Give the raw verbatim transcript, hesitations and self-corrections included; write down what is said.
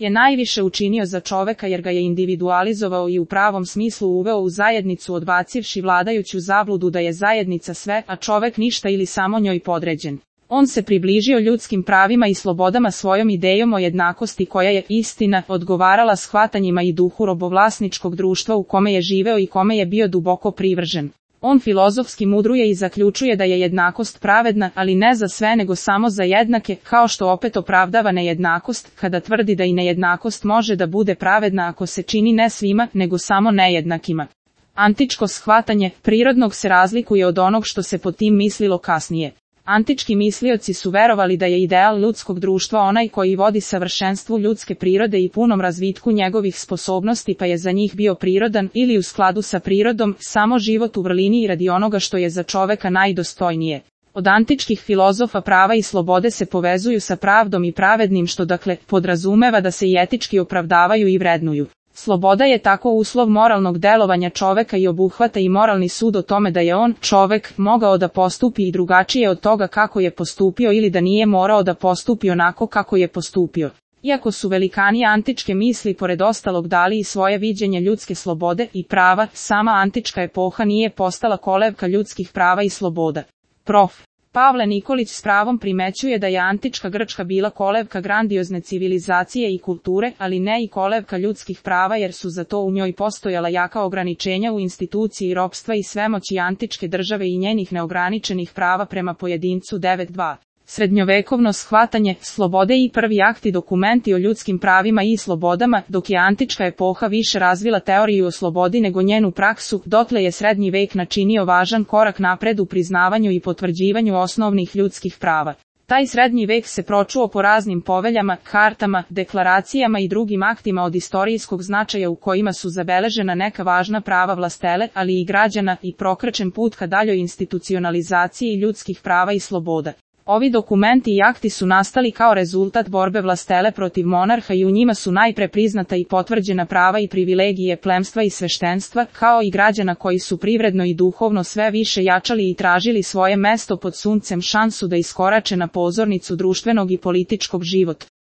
je najviše učinio za čoveka jer ga je individualizovao i u pravom smislu uveo u zajednicu odbacivši vladajuću zabludu da je zajednica sve, a čovek ništa ili samo njoj podređen. On se približio ljudskim pravima i slobodama svojom idejom o jednakosti koja je, istina, odgovarala shvatanjima i duhu robovlasničkog društva u kome je živeo i kome je bio duboko privržen. On filozofski mudruje i zaključuje da je jednakost pravedna, ali ne za sve nego samo za jednake, kao što opet opravdava nejednakost, kada tvrdi da i nejednakost može da bude pravedna ako se čini ne svima, nego samo nejednakima. Antičko shvatanje prirodnog se razlikuje od onog što se pod tim mislilo kasnije. Antički mislioci su verovali da je ideal ljudskog društva onaj koji vodi savršenstvu ljudske prirode i punom razvitku njegovih sposobnosti, pa je za njih bio prirodan ili u skladu sa prirodom samo život u vrlini i radi onoga što je za čoveka najdostojnije. Od antičkih filozofa prava i slobode se povezuju sa pravdom i pravednim, što dakle podrazumeva da se i etički opravdavaju i vrednuju. Sloboda je tako uslov moralnog delovanja čoveka i obuhvata i moralni sud o tome da je on, čovek, mogao da postupi i drugačije od toga kako je postupio ili da nije morao da postupi onako kako je postupio. Iako su velikani antičke misli pored ostalog dali i svoje viđenje ljudske slobode i prava, sama antička epoha nije postala kolevka ljudskih prava i sloboda. Prof. Pavle Nikolić s pravom primećuje da je antička Grčka bila kolevka grandiozne civilizacije i kulture, ali ne i kolevka ljudskih prava jer su za to u njoj postojala jaka ograničenja u instituciji ropstva i svemoći antičke države i njenih neograničenih prava prema pojedincu. devet dva. Srednjovekovno shvatanje slobode i prvi akti dokumenti o ljudskim pravima i slobodama, dok je antička epoha više razvila teoriju o slobodi nego njenu praksu, dotle je srednji vek načinio važan korak napred u priznavanju i potvrđivanju osnovnih ljudskih prava. Taj srednji vek se pročuo po raznim poveljama, kartama, deklaracijama i drugim aktima od istorijskog značaja u kojima su zabeležena neka važna prava vlastele, ali i građana, i prokrečen put ka daljoj institucionalizaciji ljudskih prava i sloboda. Ovi dokumenti i akti su nastali kao rezultat borbe vlastele protiv monarha i u njima su najpre priznata i potvrđena prava i privilegije plemstva i sveštenstva, kao i građana koji su privredno i duhovno sve više jačali i tražili svoje mesto pod suncem šansu da iskorače na pozornicu društvenog i političkog života.